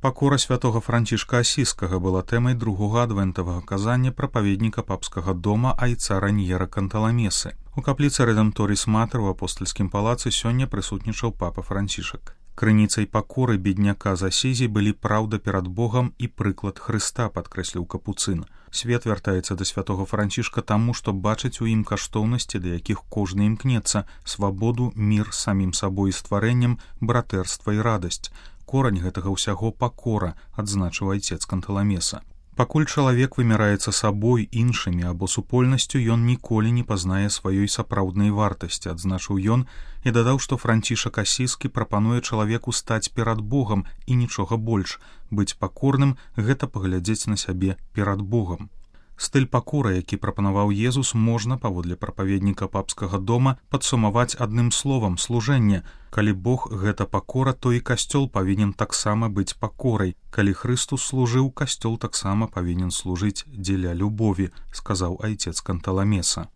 Пакора святога Францішка Асіскага была тэмай другога адвентавага казання прапаведніка папскага дома айца Раньера Канталамесы. У капліцы Редемторіс Матер у апостальскім палацы сёння прысутнічаў папа Францішак. Крыніцай пакоры бедняка з Асізі былі праўда перад Богам і прыклад Хрыста, падкрэсліў капуцын. Свет вяртаецца да святога Францішка таму, што бачыць у ім каштоўнасці, да якіх кожны імкнецца, свабоду, мір з самім сабой і стварэннем, братэрства і радасць. Корань гэтага ўсяго пакора, адзначыў айцец Канталамеса. Пакуль чалавек вымяраецца сабой, іншымі або супольнасцю, ён ніколі не пазнае сваёй сапраўднай вартасці, адзначыў ён і дадаў, што Францішак Асіскі прапануе чалавеку стаць перад Богам і нічога больш. Быць пакорным – гэта паглядзець на сябе перад Богам. Стыль пакоры, які прапанаваў Езус, можна, паводле прапаведніка папскага дома, падсумаваць адным словам – служэнне. Калі Бог – гэта пакора, то і касцёл павінен таксама быць пакорай. Калі Хрыстус служыў, касцёл таксама павінен служыць дзеля любові, сказаў айцец Канталамеса.